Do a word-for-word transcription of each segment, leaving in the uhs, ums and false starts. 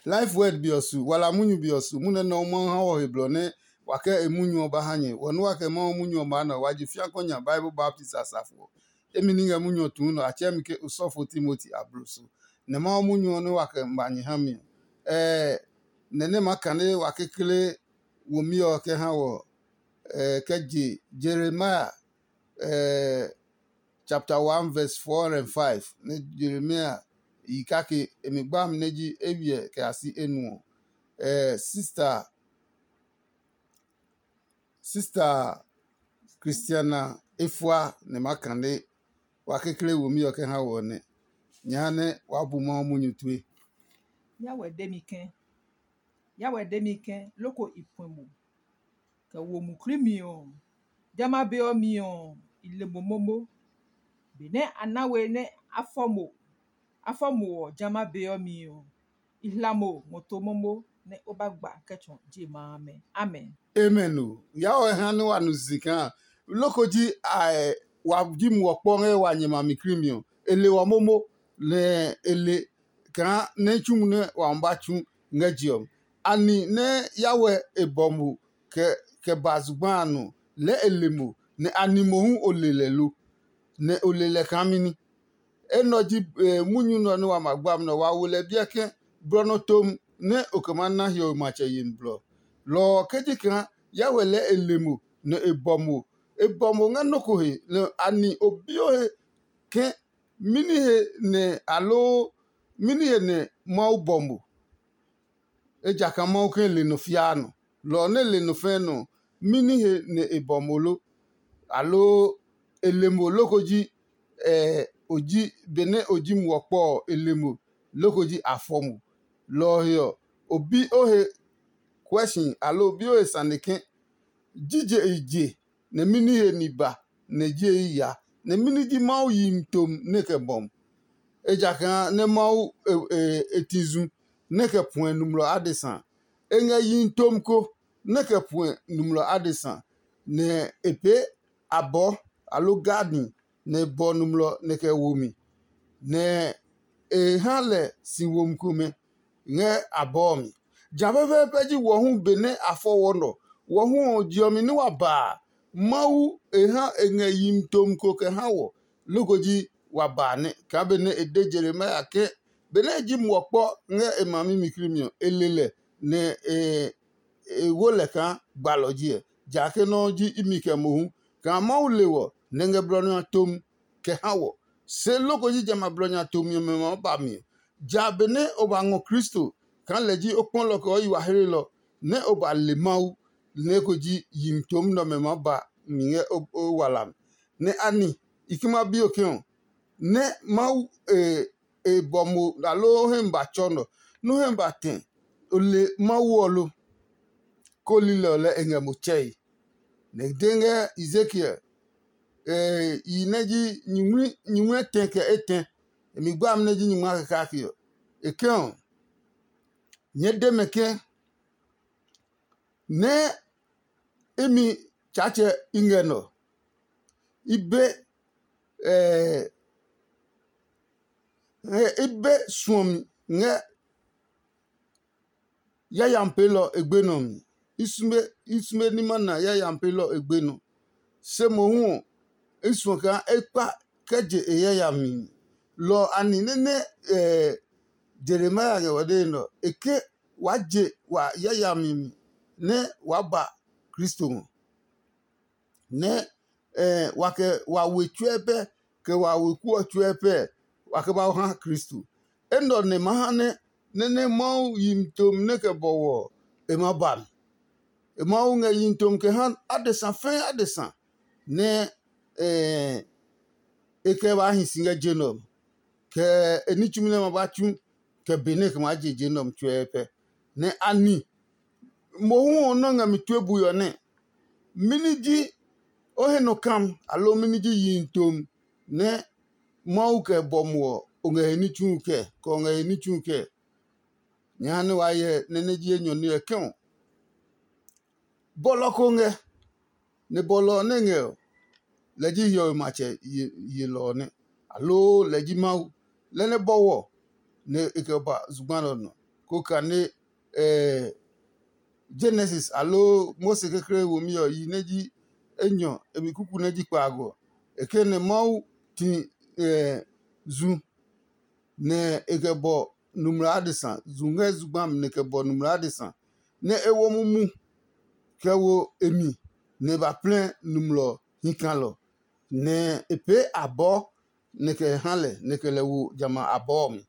Life Word be ɔ su, wala munyu be ɔ su, munyu nɛ Mawu ha wɔ he blɔ nɛ wa kɛ e munyu ɔ ba ha nyɛ. Wɔ nɛ wa kɛ Mawu munyu ɔ maa nɛ ɔ, wa je fiakɔ nya Bible baptist asafo ɔ. Emi ní ngɛ munyu ɔ tuu nɔ, a tsɛɛ mi ke osɔfo Timoti abloso. Nɛ Mawu munyu ɔ nɛ wa kɛ ma nyɛ ha mi ɔ, ɛɛ nɛ nɛ ma kane wa kekle womi ɔ kɛ ha wɔ, ɛɛ kɛ je Jeremiah, ɛɛ chapter one verse four and five, nɛ Jeremia yi kake e mi gba mi nɛ ji eywiɛ kɛ ya si enuɔ. Ɛɛ sista sista Christiana efua nɛ ma kane wa kekle womi ɔ kɛ ha wɔ nɛ. Nya nɛ wa bu Mawu munyu tue. Yawɛ de mi ke, Yawɛ de mi ke, loko i puɛ mo kɛ wo muklii mi ɔ, jamɛ a be ɔ mi ɔ, i le mo momo. Benɛ a na we nɛ a fɔ mo, a fɔ mo ɔ, jamɛ a be ɔ mi ɔ, i hla mo ngɔ to momo nɛ o ba gba kɛ tsɔ je ma amɛ. Amen. Amen o. Yawɛ ha nɛ wa nu si kaa loko ji a wa ji muɔ kpɔ ngɛ wa nyɛ ma mi krimi ɔ, e le wɔ momo, nɛ e le kaa nɛ tsumu nɛ wa ma ba tsu ngɛ je ɔ. Ani nɛ Yawɛ e bɔ mo kɛ kɛ ba zugba a nɔ lɛɛ e le mo, nɛ ani mohu o le lɛ lo? Nɛ o le lɛ kaa mɛni? Enɛ ɔ ji munyu nɛ ɔ nɛ wa ma gba mi nɛ ɔ, wa wo lɛ biɛ ke blɔ nɔ tom nɛ o kɛ maa na hiɔwe matsɛ yemi blɔ. Lɔ ɔ ke ji kaa Yawɛ lɛɛ e le mo nɛ e bɔ mo. E bɔ mo ngɛ nɔ́ ko he, nɛ ani o bi o he ke mɛni he nɛ aloo mɛni he nɛ Mawu bɔ mo? Ejakaa Mawu ke le nɔ fiaa nɔ. Lɔ ɔ nɛ le nɔ fɛɛ nɔ ɔ, mɛni he nɛ e bɔ mo lo? Aloo e le mo loko ji o ji benɛ o ji muɔ kpɔ ɔ, e le mo loko ji a fɔ mo? Lɔ ɔ he ɔ, o bi o he kuɛ si aloo o bi o he sane ke, jije i je, nɛ mɛni he ni ba nɛ je i ya, nɛ mɛni ji Mawu yihi tom nɛ kɛ bɔ mo? Ejakaa nɛ Mawu e ti zu nɛ kɛ puɛ nɔmlɔ adesa. E ngɛ yihi tom ko nɛ kɛ puɛ nɔmlɔ adesa, nɛ e pee abɔɔ aloo gadi nɛ e bɔ nɔmlɔ nɛ kɛ wo mi, nɛ e ha lɛ si womi komɛ ngɛ abɔɔ mi. Ja pɛpɛɛpɛ ji wɔ hu benɛ a fɔ wɔ nɔ. Wɔ hu ɔ, je ɔ mi nɛ wa ba a, Mawu e ha e ngɛ yihi tom ko kɛ ha wɔ, loko ji wa ba a nɛ. Kaa benɛ e de Jeremia ke benɛ e ji muɔ kpɔ ngɛ e ma mi mi krimi ɔ, e le lɛ, nɛ e e wo lɛ kaa gbalɔ ji ɛ. Jake nɔ́ ji imi kɛ mohu kaa Mawu le wɔ nɛ ngɛ blɔ nya tom kɛ ha wɔ. Se loko ji jamɛ a blɔ nya tomi ɔmɛ ma ba mi ɔ, ja benɛ o ba ngɔ Kristo kaa lɛ ji o kpɔlɔ kɛ o yi wa hlelɔ, nɛ o ba le Mawu, nɛ eko ji yihi tom nɛ ɔmɛ maa ba mi ngɛ o wala mi. Nɛ ani i ke ma bi o ke ɔ, nɛ Mawu e bɔ mo aloo o hɛ mi ba tsɔ nɔ, nɛ o hɛ mi ba tɛ o le Mawu ɔ lo? Koo lilɛ ɔ lɛɛ e ngɛ mo tsɛe. Nɛ e de ngɛ Ezekiel yi nɛ ji nyumu etɛ kɛ etɛ, e mi gba amɛ nɛ ji nyumu a kɛ kake ɔ. E ke ɔ, nyɛɛ de mɛ ke, nɛ imi Tsaatsɛ i ngɛ nɔ. I be i be suɔmi ngɛ yayami peelɔ e gbenɔ mi. I sume i sume ní ma na yayami peelɔ e gbenɔ. Se mohu ɔ, i suɔ kaa e kpa kɛ je e yayami mi. Lɔ ɔ a ni nɛ nɛ Jeremia ngɛ wɔ dee nɛ ɔ, e ke waa je wa yayami mi nɛ waa ba Kristo ngɔ. Nɛ wa kɛ wa we tsuɛ pɛ, kɛ wa weku ɔ tsuɛ pɛ, wa kɛ ba ha Kristo. Enɛ ɔ nɛ ma ha nɛ nɛ nɛ Mawu yi mi tomi nɛ kɛ bɔwɔ ɔ, e ma ba mi. Mawu ngɛ yi mi tomi kɛ ha adesa fɛɛ adesa nɛ e kɛ ba hi si ngɛ je nɛ ɔ mi, kɛ e ní tsumi nɛ ma ba tsu, kɛ be nɛ e kɛ maa je je nɛ ɔ mi tsuɛ pɛ. Nɛ a ni mohu ɔ nɔ́ ngɛ mi tue bui ɔ nɛ? Mɛni ji o he nɔ kam, aloo mɛni ji yihi tom nɛ Mawu kɛ bɔ mo ɔ, o ngɛ he ní tsu kɛ, kɛ o ngɛ he ní tsu kɛ? Nyɛ ha nɛ waa hyɛ nɛ nɛ ji enyɔ ní ɔ kɛ ɔ. Bɔlɔ ko ngɛ, nɛ bɔlɔ ɔ nɛ ngɛ ɔ, lɛ ji hiɔwe matsɛ yelɔ ɔ nɛ, aloo lɛ ji Mawu, lɛ nɛ bɔwɔ nɛ e kɛ ba zugba nɛ ɔ nɔ. ko kane eh, Genesis aloo Mose kekle womi ɔ yi nɛ ji enyɔ, e mi kuku nɛ ji kpaago. E ke nɛ Mawu ti eh, zu nɛ e kɛ bɔ numla adesa, zu ngɛ zugba mi nɛ e kɛ bɔ numla adesa, nɛ e wo mumu kɛ wo e mi nɛ e ba plɛ numlɔ hi kalɔ, nɛ e pee abɔɔ nɛ e kɛ ha lɛ nɛ e kɛ lɛ wo jamɛ a abɔɔ ɔ mi.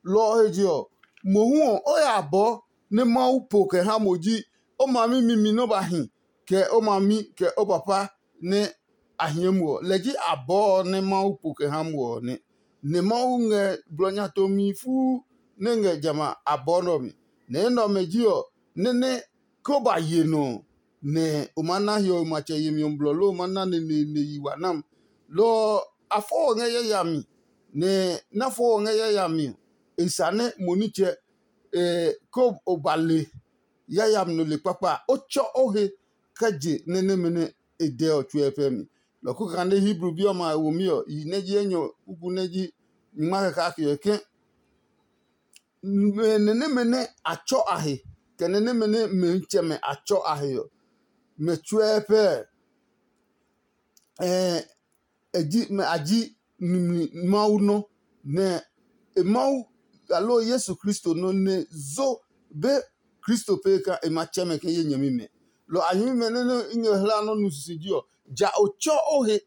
Lɔ ɔ he je ɔ, mohu ɔ, o ya abɔɔ nɛ Mawu po kɛ ha mo ji o mami mimi nɛ o ba hi, kɛ o mami kɛ o papa nɛ a hie mo ɔ. Lɛ ji abɔɔ ɔ nɛ Mawu po kɛ ha mo ɔ nɛ. Nɛ Mawu ngɛ blɔ nya tomi fuu nɛ ngɛ jamɛ a abɔɔ nɛ ɔ mi. Nɛ enɛ ɔmɛ ji ɔ, nɛ́ nɛ ke o ba ye nɔ ɔ, nɛ o maa na hiɔwe matsɛ yemi ɔ blɔ loo o maa na neneene yi wa nam. Lɔ ɔ, a fɔ o ngɛ yayami, nɛ na fɔ o ngɛ yayami ɔ, e sa nɛ mo nitsɛ ko o ba le yayami nɔ le kpakpa a, o tsɔ o he kɛ je nɛ nɛmɛ nɛ e dɛ ɔ tsuɛ pɛ mi. Lɔ ko kane Hebru bi ɔmɛ a womi ɔ, yi nɛ ji enyɔ kuku nɛ ji nyingma kɛ kake ɔ ke nɛ nɛmɛ nɛ a tsɔ a he, kɛ nɛ nɛmɛ nɛ mɛmitsɛmɛ a tsɔ a he ɔ, mɛ tsuɛ pɛ ɛ e ji mɛ a ji nimli Mawu nɔ, nɛ e Mawu aloo Yesu Kristo nɔ nɛ zo be Kristo pee kaa e ma tsɛ mɛ ke ye nyɛmimɛ. Lɔ a nyɛmimɛ nɛ nɛ i ngɛ hla nɔ́ nu sisiji ɔ, ja o tsɔ o he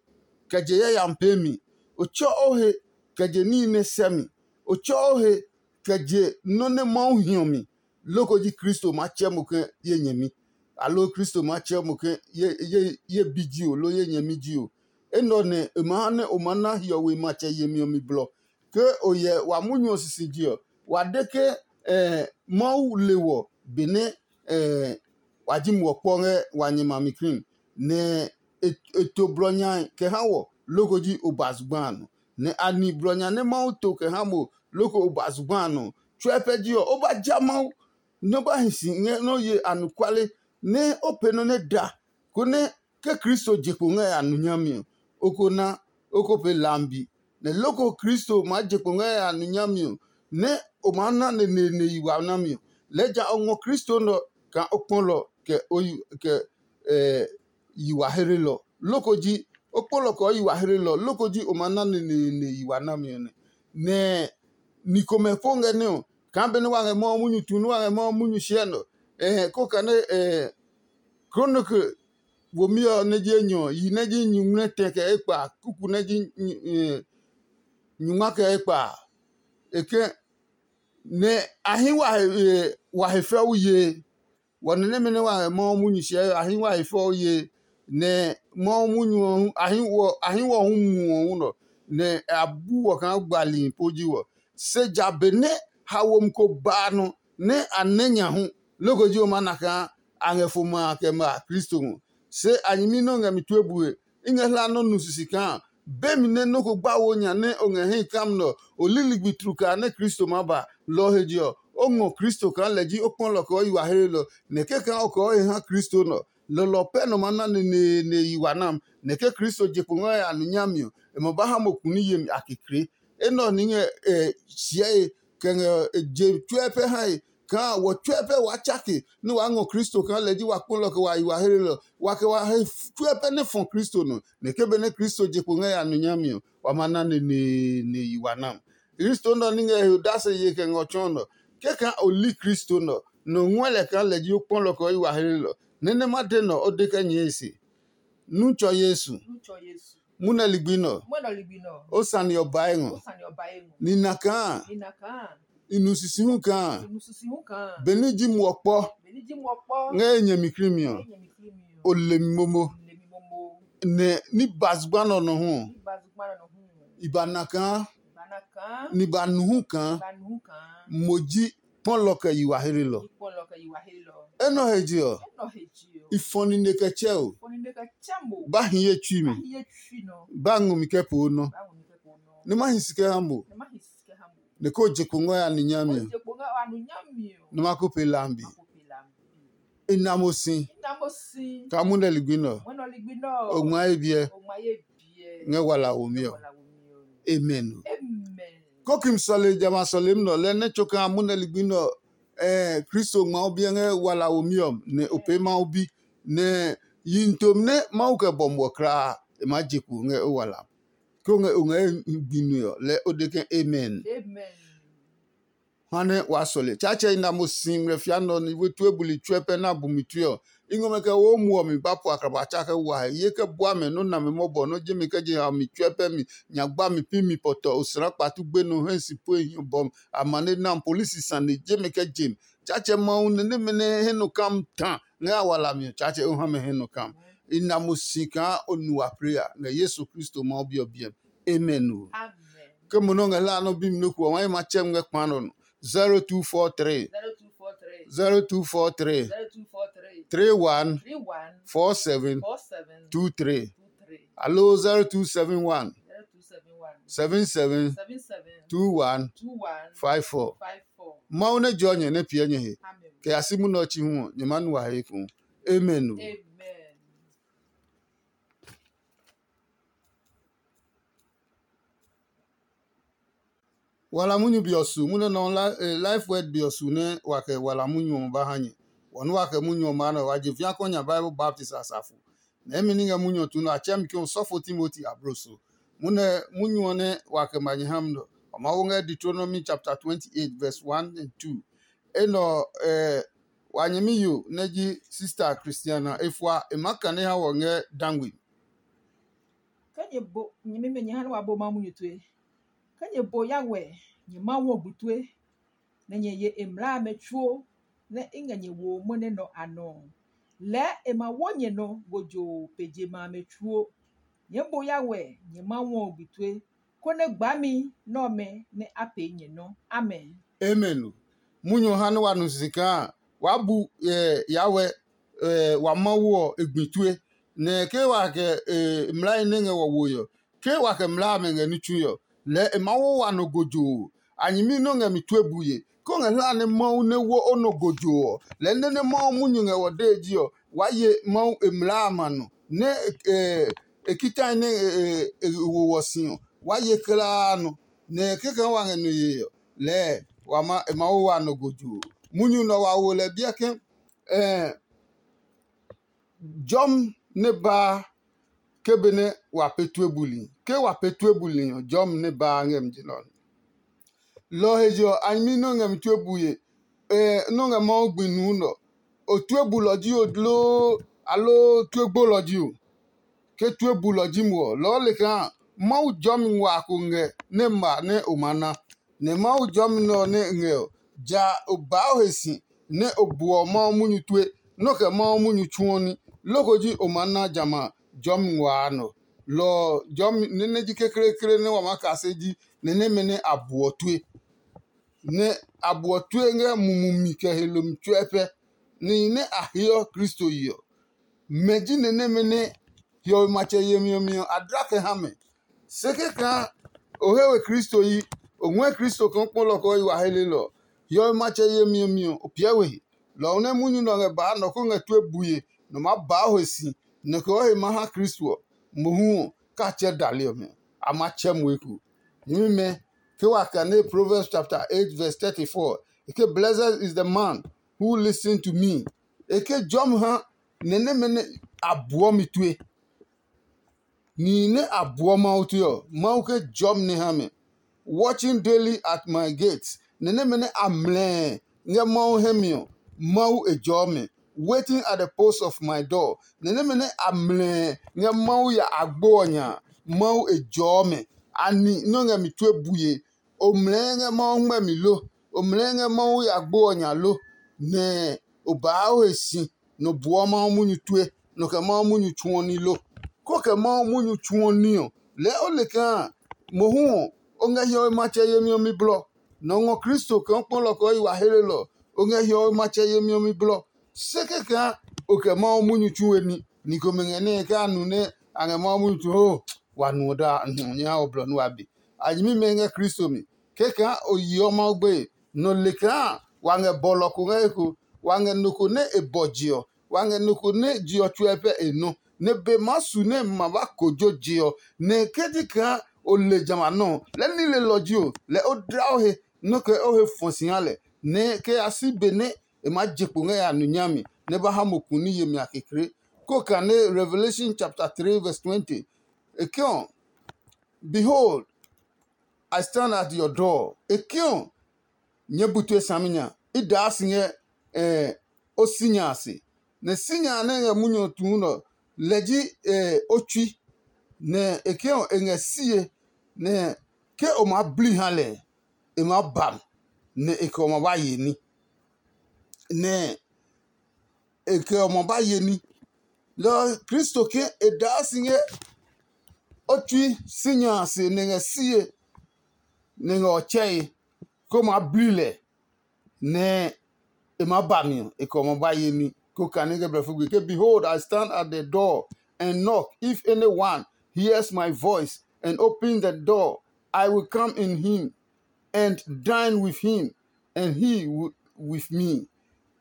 kɛ je yayami pee mi. O tsɔ o he kɛ je níhi nɛ sɛ mi. O tsɔ o he kɛ je nɔ́ nɛ Mawu hiɔ mi. Loko ji Kristo maa tsɛ mo ke ye nyɛmi, aloo Kristo maa tsɛ mo ke ye, ye, ye bi ji o, loo ye nyɛmi ji o. Enɛ ɔ nɛ e ma ha nɛ o maa na hiɔwe matsɛ yemi ɔ mi blɔ. Ke o hyɛ wa munyu ɔ sisije ɔ, wa de ke Mawu le wɔ benɛ wa ji muɔ kpɔ ngɛ wa nyɛmi a mi krim, nɛ e to blɔ nya kɛ ha wɔ, loko ji o ba zugba a nɔ. Nɛ a ni blɔ nya nɛ Mawu to kɛ ha mo, loko o ba zugba a nɔ. Tsuɛ pɛ ji ɔ, o ba ja Mawu, nɛ o ba hi si ngɛ nɛ o ye anɔkuale, nɛ o pee nɔ́ nɛ da, konɛ ke Kristo je kpo ngɛ ya nu nyami ɔ, o ko na, o ko pee lambi. Nɛ loko Kristo maa je kpo ngɛ ya nu nyami ɔ, nɛ o maa na neneene yi wa nami ɔ, lɛɛ ja o ngɔ Kristo nɛ ɔ kaa o kpɔlɔ kɛ o yi kɛ yi wa hlelɔ. Loko ji o kpɔlɔ kɛ o yi wa hlelɔ, loko ji o ma na neneene yi wa nami ɔ nɛ. Nɛ ni komɛ po ngɛ nɛ ɔ, kaa benɛ wa ngɛ Mawu munyu tu nɛ wa ngɛ Mawu munyu hyɛ nɔ. Ɛhɛ, ko kane Kronike womi ɔ nɛ ji enyɔ, yi nɛ ji nyuŋmlɛ tɛ kɛ ekpa, kuku nɛ ji nyungma kɛ ekpa. E ke nɛ a hi wa he fɛu ye. Wɔ nɛ nɛmɛ nɛ wa ngɛ Mawu munyu hyɛ a hi wa he fɛu ye, nɛ Mawu munyu ɔ hu a hi wɔ a hi wɔ hu muɔ hu nɔ, nɛ a bu wɔ kaa gbali po ji wɔ. Se ja be nɛ haomi ko ba a nɔ nɛ a nɛ nya hu, loko ji o maa na kaa a ngɛ fo ma a kɛ ma Kristo ngɔ. Se a nyɛmi nɛ o ngɛ mi tue bue, i ngɛ hla nɔ́ nu sisi kaa be mi nɛ nɔ́ ko gba wo nya nɛ o ngɛ hɛ kam nɛ ɔ, o li ligbi tlukaa nɛ Kristo maa ba. Lɔ ɔ he je ɔ, o ngɔ Kristo kaa lɛ ji o kpɔlɔ kɛ o yi wa hlelɔ, nɛ kɛkaa o kɛ o he ha Kristo nɛ ɔ, lɔlɔ pɛ nɔ maa na neneene yi wa nam. Nɛ ke Kristo je kpo ngɛ a nu nyami ɔ, e ma ba ha mo kuni yemi a kekle. Enɛ ɔ ní ngɛ hyɛe kɛ ngɛ je tsuɛ pɛ hae kaa wɔ tsuɛ pɛ waa tsake nɛ waa ngɔ Kristo kaa lɛ ji wa kpɔlɔ kɛ wa yi wa hlelɔ, wa kɛ wa he tsuɛ pɛ nɛ fɔ Kristo nɔ. Nɛ ke benɛ Kristo je kpo ngɛ ya nu nyami ɔ, wa ma na neneene yi wa nam. Kristo nɛ ɔ ní ngɛ he odase ye kɛ ngɛ ɔ tsɔɔ nɔ. Kɛkaa o li Kristo nɛ ɔ, nɔ ngɔɛ lɛ kaa lɛ ji o kpɔlɔ kɛ o yi wa hlelɔ. Nɛ nɛ ma de nɛ ɔ, o de kɛ nyɛɛ e se. Nu tsɔ Yesu. Munɛ ligbi nɛ ɔ, o sane ɔ bae ngɔ. Nina kaa i nu sisi hu kaa benɛ i ji muɔ kpɔ ngɛ ye nyɛmi krimi ɔ, o le mi momo. Nɛ ní ba zugba nɛ ɔ nɔ hu ɔ, i ba na kaa ni ba nu hu kaa mo ji kpɔlɔ kɛ yi wa hlelɔ. Enɛ ɔ he je ɔ, i fɔ nine kɛ tsɛ o. Ba hi ye tsui mi. Ba ngɔ mi kɛ poo nɔ. Nɛ ma hi si kɛ ha mo. Nɛ ko je kpo ngɔ ya ni nyami ɔ, nɛ ma ko pe lambi. I na mo si kaa munɛ ligbi nɛ ɔ, o ngma ye biɛ ngɛ wala womi ɔ. Amen. Kokim sɔle jamɛ a sɔlemi nɛ ɔ lɛ nɛ tso kaa munɛ ligbi nɛ ɔ, Kristo ngma o biɛ ngɛ wala womi ɔ nɛ o pee Mawu bi, nɛ yihi tomi nɛ Mawu kɛ bɔ muɔ kulaa, e maa je kpo ngɛ o wala. Ke o ngɛ o ngɛ gbi nue ɔ, lɛ o de ke, amen. Ha nɛ waa sɔle. Tsaatsɛ i na mo si ngmlɛ fia nɔ ni we tue buli tsuɛ pɛ na bumi tue ɔ. I ngɔ mɛ kɛ wo muɔ mi ba po akraba tsa kɛ wa he ye kɛ bua mɛ nɔ́ nami mɔbɔ nɔ́ je mi kɛ je ha mi tsuɛ pɛ mi nya gba mi pi mi pɔtɔ osra kpatu gbe nɔ hɛ si pue hiɔ bɔ amane na polisi sane je mi kɛ je mi. Tsaatsɛ Mawu nɛ nɛmɛ nɛ hɛ nɔ kam ta ngɛ a wala mi ɔ, Tsaatsɛ o ha mɛ hɛ nɔ kam. I na mo si kaa o nu wa prayer ngɛ Yesu Kristo Mawu bi ɔ biɛ mi. Amen o. Ke mo nɔ ngɛ hla nɔ bi mi nɔ ko ɔ, wa ma tsɛ ngɛ kpa nɔ no. zero two four three zero two four three zero two four three zero two four three three one three one four seven four seven two three two three alo zero two seven one zero two seven one seven seven seven seven two one two one five four. Five four. Mawu nɛ jɔ nyɛ nɛ piɛ nyɛ he. Amen. Kɛ ya si munɛ ɔ chi hu ɔ, nyɛ ma nu wa he eko. Amen o. Amen. Wala munyu be ɔ su munɛ nɔ life word be ɔ su nɛ wa kɛ wala munyu ɔ ba ha nyɛ. Wɔ nɛ wa kɛ munyu ɔ maa nɛ wa je fia kɔ nya Bible baptist asafo. Nɛ imi ní ngɛ munyu ɔ tu nɔ a tsɛ mi ke osɔfo Timoti ablo so. Munɛ munyu ɔ nɛ wa kɛ ma nyɛ ha mi nɔ, wa ma wo ngɛ Deuteronomy chapter twenty-eight verse one and two. Enɛ ɔ, wa nyɛmi yo nɛ ji Sister Christiana Efua e maa kane ha wɔ ngɛ dangwe. Ke nyɛ bo nyɛmimɛ nyɛ ha nɛ wa bo Mawu munyu tue. Ke nyɛ bo Yahweh, nyɛ Mawu ɔ gbi tue, nɛ nyɛ ye e mlaa amɛ tsuo nɛ i ngɛ nyɛ wo mwɔnɛ nɔ a nɔ ɔ, lɛɛ e ma wo nyɛ nɔ gojoo pe je ma amɛ tsuo. Nyɛɛ bo Yahweh, nyɛ Mawu ɔ gbi tue, konɛ gbami nɛ ɔmɛ nɛ a pee nyɛ nɔ. Amen. Amen. Munyu ha nɛ wa nu sisi kaa waa bu Yahweh wa Mawu ɔ e gbi tue, nɛ ke wa kɛ mlai nɛ ngɛ wɔ woe ɔ, ke wa kɛ mlaa amɛ ngɛ ní tsui ɔ, lɛɛ e maa wo wa nɔ gojoo. A nyɛmi nɛ o ngɛ mi tue bue, ke o ngɛ hlaa nɛ Mawu nɛ wo o nɔ gojoo ɔ, lɛɛ nɛ nɛ Mawu munyu ngɛ wɔ dee ji ɔ, waa ye Mawu e mlaa a ma nɔ, nɛ e kitai nɛ e wo wɔ si ɔ, waa ye kulaa nɔ, nɛ kɛkɛ wa ngɛ nɔ yee ɔ, lɛɛ wa ma e maa wo wa nɔ gojoo. Munyu nɛ wa wo lɛ biɛ ke jɔmi nɛ baa ke benɛ wa pee tue buli. Ke wa pee tue buli ɔ, jɔmi nɛ baa ngɛ mi je nɔ. Lɔ ɔ he je ɔ, a nyɛmi nɛ o ngɛ mi tue bue, nɛ o ngɛ Mawu gbi nuu nɛ ɔ, o tue bulɔ ji o loo aloo tue gbolɔ ji o? Ke tue bulɔ ji mo ɔ, lɔɔ le kaa Mawu jɔmi ngua ko ngɛ nɛ ma nɛ o ma na. Nɛ Mawu jɔmi nɛ ɔ nɛ ngɛ ɔ, ja o baa o he si nɛ o buɔ Mawu munyu tue, nɔ́ kɛ Mawu munyu tsuɔ ní, loko ji o maa na jamɛ a jɔmi ngua a nɔ. Lɔ ɔ jɔmi nɛ nɛ ji kekleekle nɛ wa maa kase ji nɛ nɛmɛ nɛ a buɔ tue. Nɛ a buɔ tue ngɛ mumi mi kɛ he lomi tsuɛ pɛ, nihi nɛ a heɔ Kristo yi ɔ. Mɛ ji nɛ nɛmɛ nɛ hiɔwe matsɛ yemi ɔ mi ɔ a dla kɛ ha mɛ. Se kɛkaa o he we Kristo yi, o ngɔɛ Kristo kaa o kpɔlɔ kɛ o yi wa helelɔ ɔ, hiɔwe matsɛ yemi ɔ mi ɔ, o piɛ we he. Lɔ ɔ nɛ munyu nɛ ɔ ngɛ baa nɔ ko ngɛ tue bue nɔ maa baa o he si, nɔ kɛ o he maa ha Kristo ɔ, mohu ɔ, ka tsɛ dali ɔmɛ ɔ, a ma tsɛ mo eko. Nyɛmimɛ, ke wa kane Proverbs chapter eight verse thirty-four, e ke, "Blessed is the man who listen to me." E ke jɔmi ha nɛ nɛmɛ nɛ a buɔ mi tue. Nihi nɛ a buɔ Mawu tue ɔ, Mawu ke jɔmi nɛ ha mɛ. Watching daily at my gate, nɛ nɛmɛ nɛ a mlɛɛ ngɛ Mawu hɛ mi ɔ, Mawu e jɔɔ mɛ. Waiting at the post of my door, nɛ nɛmɛ nɛ a mlɛɛ ngɛ Mawu ya agbo ɔ nya a, Mawu e jɔɔ mɛ. Ani nɔ́ ngɛ mi tue bue? O mlɛɛ ngɛ Mawu ngmɛmi lo? O mlɛɛ ngɛ Mawu ya gbo ɔ nya lo? Nɛ o baa o he si, nɔ buɔ Mawu munyu tue, nɔ kɛ Mawu munyu tsuɔ ní lo? Ko kɛ Mawu munyu tsuɔ ní ɔ, lɛɛ o le kaa mohu ɔ, o ngɛ hiɔwe matsɛ yemi ɔ mi blɔ. Nɔ ngɔ Kristo kaa o kpɔlɔ kɛ o yi wa helelɔ, o ngɛ hiɔwe matsɛ yemi ɔ mi blɔ. Se kɛkaa o kɛ Mawu munyu tsu we ní. Ni komɛ ngɛ nɛ kɛ a nu nɛ a ngɛ Mawu munyu tsu ho, wa nuɔ daa nyɛ ha o blɔ nú wa be. A nyɛmimɛ ngɛ Kristo mi. Kɛkaa o yeɔ Mawu gbeye, nɔ le kaa wa ngɛ bɔlɔ ko ngɛ eko, wa ngɛ nɔ ko nɛ e bɔ je ɔ, wa ngɛ nɔ ko nɛ je ɔ tsuɛ pɛ e nɔ, nɛ be maa su nɛ ma ba kojo je ɔ, nɛ ke ji kaa o le jamɛ a nɔ ɔ, lɛɛ nilelɔ ji o, lɛɛ o dla o he, nɔ́ kɛ o he fɔ si ha lɛ. nɛ kɛ ya si be nɛ e maa je kpo ngɛ ya nu nyami nɛ ba ha mo kuni yemi a kekle. Ko kane Revelation chapter three verse twenty, e ke ɔ, "Behold, I stand at your door." E ke ɔ, nyɛɛ bu tue saminya, i daa si ngɛ eh, o sinya a se. Nɛ sinya a nɛ ngɛ munyu ɔ tuu nɛ ɔ, lɛ ji eh, o tsui, nɛ e ke ɔ, e ngɛ sie, nɛ ke o maa bli ha lɛ, e maa ba mi, nɛ e kɛ ɔ ma ba ye ní. Nɛ e kɛ ɔ ma ba ye ní. Lɔ ɔ, Kristo ke e daa si ngɛ o tsui sinya a se nɛ ngɛ sie, nɛ ngɛ ɔ tsɛe, ko maa bli lɛ, nɛ e maa ba mi ɔ, e kɛ ɔ ma ba ye ní. Ko kane ngɛ blɛfo gbe ke, "Behold, I stand at the door and knock. If anyone hears my voice and opens the door, I will come in him and dine with him, and he with me."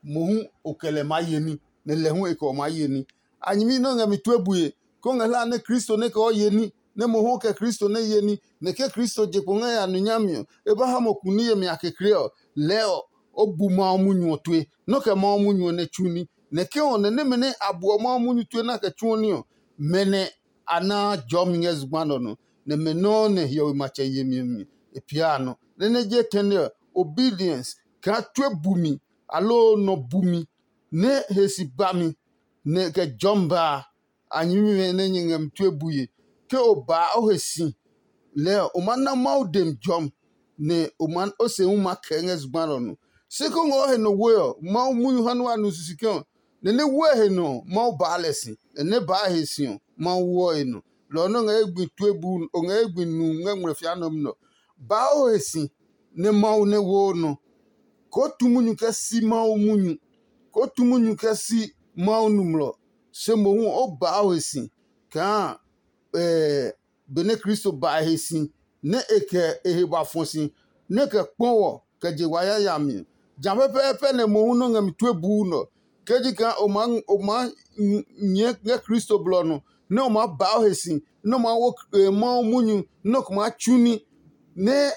Mohu o kɛ lɛ maa ye ní, nɛ lɛ hu e kɛ ɔ maa ye ní. A nyɛmi nɛ o ngɛ mi tue bue, kó ngɛ hlaa nɛ Kristo nɛ kɛ ɔ ye ní, nɛ mohu o kɛ Kristo nɛ ye ní, nɛ ke Kristo je kpo ngɛ ya nu nyami ɔ, e ba ha mo kuni yemi a kekle ɔ, lɛɛ ɔ, o bu Mawu munyu ɔ tue, nɔ́ kɛ Mawu munyu ɔ nɛ tsu ní. Nɛ ke ɔ, nɛ nɛmɛ nɛ a buɔ Mawu munyu tue nɛ a kɛ tsuɔ ní ɔ, mɛ nɛ a naa jɔmi ngɛ zugba nɛ ɔ nɔ, nɛ mɛ nɔuu nɛ hiɔwe matsɛ yemi ɔ mi e piaa a nɔ. Nɛ nɛ je tɛne ɔ, obedience kaa tue bumi, aloo nɔ bumi, nɛ he si ba mi, nɛ kɛ jɔmi ba a. A nyɛmimɛ nɛ nyɛ ngɛ mi tue bue, ke o baa o he si lɛɛ ɔ, o maa na Mawu demi jɔmi, nɛ o maa o se hu maa kɛɛ ngɛ zugba nɛ ɔ nɔ. Se kó ngɛ o he nɔ we ɔ, Mawu munyu ha nɛ wa nu sisi kɛ ɔ, nɛ nɛ we he nɔ ɔ, Mawu baa lɛ si, nɛ nɛ baa he si ɔ, Mawu woɔ e nɔ. Lɔ ɔ nɛ o ngɛ ye gbi tue buu o ngɛ ye gbi nu ngɛ ngmlɛfia nɔmlɔ nɛ ɔ, baa o he si nɛ Mawu nɛ woo nɔ, koo tu munyu kɛ si Mawu munyu, koo tu munyu kɛ si Mawu nɔmlɔ. Se mohu ɔ, o baa o he si kaa benɛ Kristo ba e he si, nɛ e kɛ e he ba fɔ si, nɛ e kɛ kpɔ wɔ kɛ je wa yayami ɔ. Ja pɛpɛɛpɛ nɛ mohu nɔ́ ngɛ mi tue buu nɛ ɔ, ke ji kaa o maa o maa nyɛɛ ngɛ Kristo blɔ ɔ nɔ, nɛ o maa ba o he si, nɛ o maa wo Mawu munyu, nɛ o ko maa tsu ní, nɛ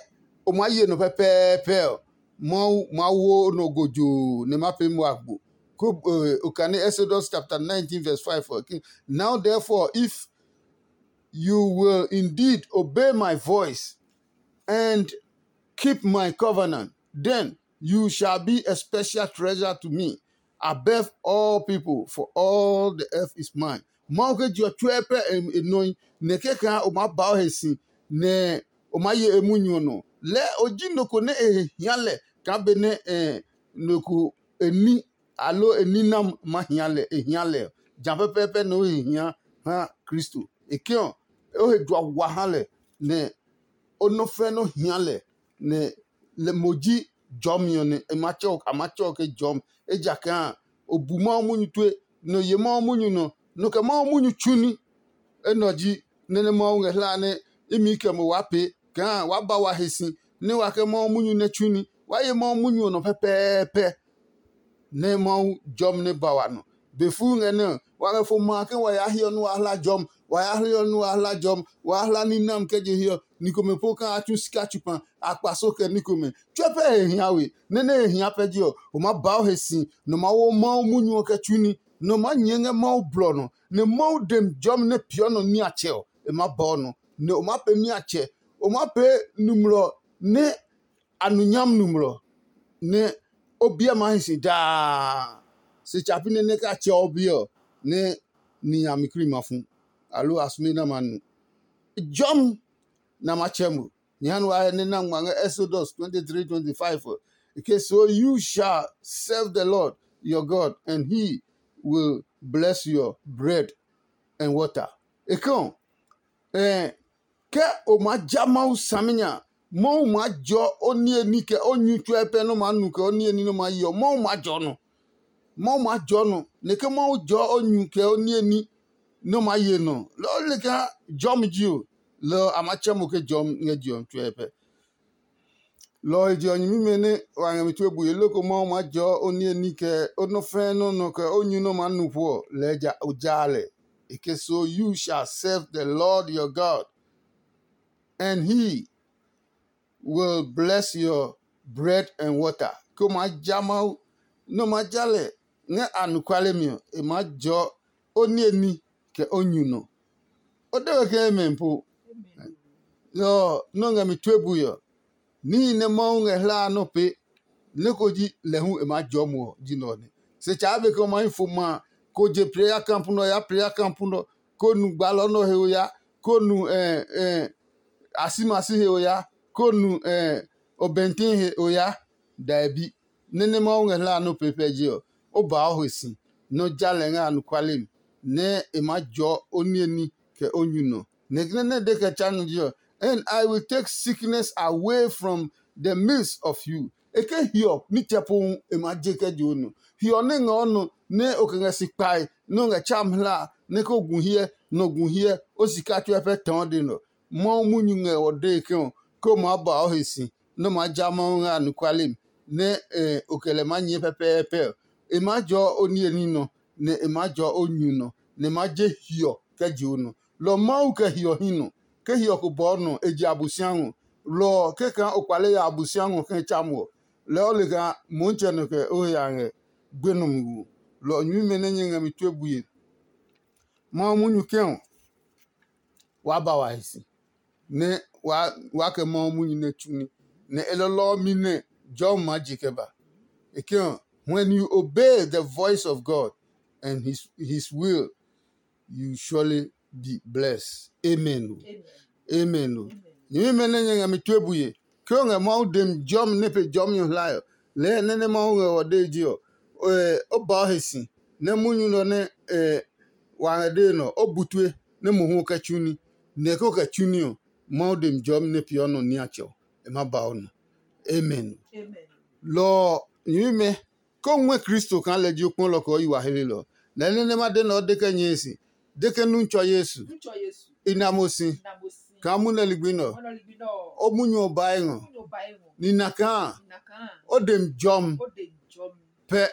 o maa ye nɔ pɛpɛɛpɛ ɔ, Mawu maa wo nɔ gojoo nɛ ma pee mo agbo. Ko okane Exodus chapter nineteen verse five ɔ ke, "Now therefore, if you will indeed obey my voice and keep my covenant, then you shall be a special treasure to me above all people, for all the earth is mine." Mawu ke je ɔ tsuɛ pɛ e nɔe, nɛ kɛkaa o maa ba o he si, nɛ o maa ye e munyu ɔ nɔ. Lɛɛ o ji nɔ ko nɛ e he hia lɛ kaa benɛ nɔ ko e ní aloo e ní nɛ ma hia lɛ e hia lɛ ɔ, ja pɛpɛɛpɛ nɛ o he hia ha Kristo. E ke ɔ, o he jua wa ha lɛ, nɛ o nɔ fɛ nɔ hia lɛ, nɛ lɛ mo ji jɔmi ɔ nɛ e ma tsɛ a ma tsɛ ɔ ke jɔmi. Ejakaa o bu Mawu munyu tue, nɛ o ye Mawu munyu nɔ, nɔ kɛ Mawu munyu tsu ní. Enɛ ɔ ji nɛ nɛ Mawu ngɛ hlaa nɛ imi kɛ mo waa pee kaa waa ba wa he si, nɛ wa kɛ Mawu munyu nɛ tsu ní. Waa ye Mawu munyu ɔ nɔ pɛpɛɛpɛ. Nɛ Mawu jɔmi nɛ ba wa nɔ. Be fuu ngɛ nɛ ɔ, wa ngɛ fo ma ke wa ya hiɔ nɛ wa hla jɔmi, wa ya hiɔ nɛ wa hla jɔmi, wa hla ní nami kɛ je hiɔ. Ni komɛ po kaa a tsu sika tsu kpa, a kpa so kɛ ní komɛ. Tsuɛ pɛ he hia we, nɛ nɛ he hia pɛ je ɔ, o maa ba o he si, nɛ o maa wo Mawu munyu ɔ kɛ tsu ní, nɛ o maa nyɛɛ ngɛ Mawu blɔ nɔ, nɛ Mawu demi jɔmi nɛ peeɔ nɔ niatsɛ ɔ, e maa ba o nɔ, nɛ o maa pee niatsɛ, o maa pee nɔmlɔ nɛ a nu nyami nɔmlɔ, nɛ o biɛ maa hi si daa. Se tsa pi nɛ nɛ ka tsɛ o biɛ ɔ, nɛ ni a mi kri ma fu, aloo a sume nɛ a ma nu. Jɔmi nɛ a ma tsɛ mo. Nyɛ ha nɛ wa hyɛ nɛ na ngma ngɛ Exodus twenty-three twenty-five ɔ. Ke, "So you shall serve the Lord your God, and he will bless your bread and water." E ke ɔ, eh, ke o maa ja Mawu saminya, Mawu maa jɔ o niye ní kɛ o nyu tsuɛ pɛ nɛ o maa nu kɛ o niye ní nɛ o maa ye ɔ, Mawu maa jɔ nɔ. Mawu maa jɔ nɔ, nɛ ke Mawu jɔ o nyu kɛ o niye ní nɛ o maa ye nɔ, lɔ ɔ le kaa jɔmi ji o, lɔ ɔ a maa tsɛ mo ke jɔmi ngɛ je ɔ mi tsuɛ pɛ. Lɔ ɔ he je ɔ nyɛmimɛ nɛ wa ngɛ mi tue bue loko Mawu maa jɔɔ o niye ní kɛ o nɔ́ fɛ́ɛ́ nɔ́ nɔ kɛ o nyu nɛ o maa nu po ɔ, lɛɛ ja o jaa lɛ. E ke so, "You shall serve the Lord your God, and he will bless your bread and water." ko maa ja Mawu, nɛ o maa ja lɛ ngɛ anɔkuale mi ɔ, e maa jɔɔ o niemi kɛ o nyu nɔ. O de we ke amen po. Lɔ ɔ nɔ́ ngɛ mi tue bui ɔ, níhi nɛ Mawu ngɛ hlaa nɔ́ pee nɛ ko ji lɛ hu e maa jɔɔ mo ɔ ji nɛ ɔ nɛ. Se tsaa be ke o ma hi fo ma a, ko je prayer camp nɛ ɔ ya prayer camp nɛ ɔ, ko nu gbalɔ nɛ ɔ he o ya, ko nu eh, eh, asimasi he o ya, ko nu eh, obɛntin he o ya. Daebi. Nɛ nɛ Mawu ngɛ hlaa nɔ́ pee pɛ je ɔ, o ba o he si, nɛ o ja lɛ ngɛ anɔkuale mi, nɛ e maa jɔɔ o niemi kɛ o nyu nɔ. Nɛ nɛ nɛ de kɛ tsa nɔ je ɔ, and I will take sickness away from the midst of you. E ke hiɔ nitsɛ pohu e maa je kɛ je o nɔ. Hiɔ nɛ ngɛ o nɔ nɛ o kɛ ngɛ si kpae nɛ o ngɛ tsam hlaa nɛ ko gu hiɛ, nɔ gu hiɛ, o sika tsuɛ pɛ tɔɔ de nɔ. Mawu munyu ngɛ o dee ke ɔ, ke o maa ba o he si, nɛ o maa ja Mawu ngɛ anɔkuale mi, nɛ o kɛ lɛ maa nyɛɛ pɛpɛɛpɛ ɔ, e maa jɔɔ o niemi nɔ, nɛ e maa jɔɔ o nyu nɔ, nɛ e maa je hiɔ kɛ je o nɔ. Lɔ Mawu kɛ hiɔ hi nɔ. Ke hiɔ ko bɔɔ nɔ, e je Abosiami ɔ. Lɔ ɔ, kɛkaa o kpale ya Abosiami ɔ kɛ tsa mo ɔ, lɛɛ o le kaa Mɔtsɛ nɔ kɛ o he a ngɛ gbenɔmi wo. Lɔ ɔ nyɛmimɛ nɛ nyɛ ngɛ mi tue bue. Mawu munyu kɛ ɔ, waa ba wa he si, nɛ waa kɛ Mawu munyu nɛ tsu ní, nɛ e lɔlɔ ɔ mi nɛ jɔmi maa je kɛ ba. E ke ɔ, when you obey the voice of God and his, his will, you surely be blessed. Amen. Amen. Nyɛmimɛ nɛ nyɛ ngɛ mi tue bue, ke o ngɛ Mawu dem jɔmi nɛ pe jɔmi ɔ hlae ɔ, lɛɛ nɛ nɛ Mawu ngɛ ɔ dee je ɔ, o ba o he si, nɛ munyu nɛ ɔ nɛ wa ngɛ dee nɛ ɔ, o bu tue nɛ mohu o kɛ tsu ní. Nɛ ko kɛ tsu ní ɔ, Mawu dem jɔmi nɛ peeɔ nɔ niatsɛ ɔ, e ma ba o nɔ. Amen. Lɔ ɔ, nyɛmimɛ, ko ngmɛ Kristo kaa lɛ ji o kpɔlɔ kɛ o yi wa helelɔ. Lɛɛ nɛ nɛ ma de nɛ o de kɛ nyɛe si, de ke nu tsɔ Yesu. I na mo si. Kaa munɛ ligbi nɛ ɔ, o munyu ɔ bae ngɔ. Ni na kaa o dem jɔmi pɛ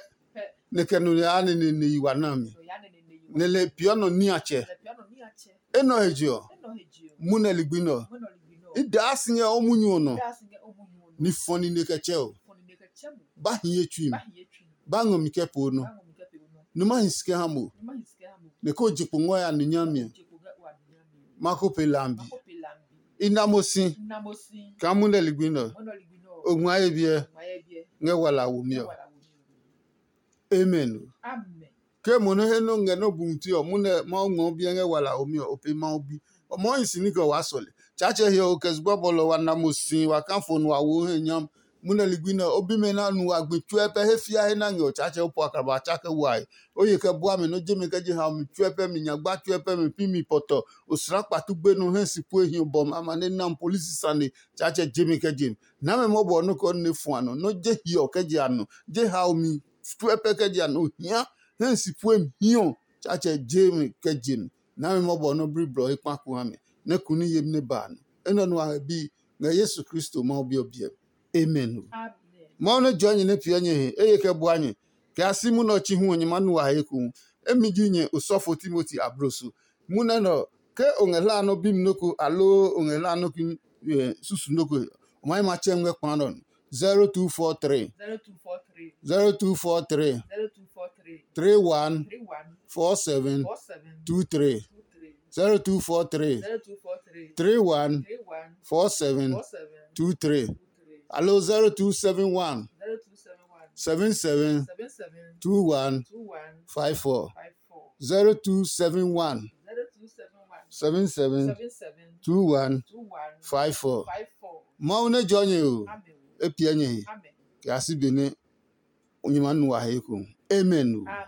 nɛ kɛ nɔ yaa nɛ ne yi wa na mi. Nɛ lɛ piɔ nɔ niatsɛ. Enɔ he je ɔ, munɛ ligbi nɛ ɔ, i daa si ngɛ o munyu ɔ nɔ. Ni fɔ nine kɛ tsɛ o. Ba hi ye tsui mi. Ba ngɔ mi kɛ po nɔ. Numa hi si kɛ ha mo. Nɛ ko je kpo ngɔ ya nu nyami ɔ. Ma ko pe lambi. I na mo si. Kaa munɛ ligbi nɛ ɔ, o ngma ye biɛ ngɛ wala wo mi ɔ. Amen. Ke mo nɔ he nɔ ngɛ nɔ bu ti ɔ, munɛ Mawu ngmɔ biɛ ngɛ wala wo mi ɔ, o pe Mawu bi. O mɔ hi si ni kɛ waa sɔle. Tsaatsɛ he ɔ, o kɛ zugba bɔlɔ wa na mo si wa ka fo nu wa wo he nyam. Munɛ ligbi nɛ o bimɛ na nu wa gbi tsuɛ pɛ he fia he na ngɛ o Tsaatsɛ o po akraba tsa kɛ wae. O ye kɛ bua mi nɔ je mi kɛ je ha mi tsuɛ pɛ mi nyagba tsuɛ pɛ mi pi mi pɔtɔ. O sra kpatu gbe nɔ he si pue hi bɔ mi ama ne nam polisi sane. Tsaatsɛ je mi kɛ je mi. Na mɛ mɔbɔ nɔ kɛ o ne fua nɔ. Nɔ je hiɔ kɛ je a nɔ. Je ha o mi tsuɛ pɛ kɛ je a nɔ. O hia he si pue mi hiɔ. Tsaatsɛ je mi kɛ je mi. Na mɛ mɔbɔ nɔ bli blɔ he kpa ku ha mi. Nɛ kuni yemi ne ba a nɔ. Enɛ nɔ a bi ngɛ Yesu Kristo Mawu bi ɔ biɛ. Amen. Mawu nɛ jɔɔ nyɛ nɛ piɛ nyɛ he, eye kɛ bua nyɛ, kɛ a si munɛ ɔ chi hu ɔ nyɛ ma nu wa he ekohu. Emi ji nyɛ osɔfo Timoti abloso. Munɛ nɛ ɔ, ke o ngɛ hla nɔ bi mi nɔ́ ko aloo o ngɛ hla nɔ ki susu nɔ́ ko, o ma yi ma tsɛ ngɛ kpa nɔ. zero two four three zero two four three zero two four three zero two four three three one three one four seven four seven two three two three zero two four three zero two four three three one three one four seven four seven two three two three alo zero two seven one zero two seven one seven seven seven seven two one two one five four five four zero two seven one zero two seven one seven seven seven seven two one two one five four five four. Mawu nɛ jɔ nyɛ o. Amen. E piɛ nyɛ he. Amen. Kɛ a si be nɛ nyɛ ma nu wa he ko. Amen o. Amen.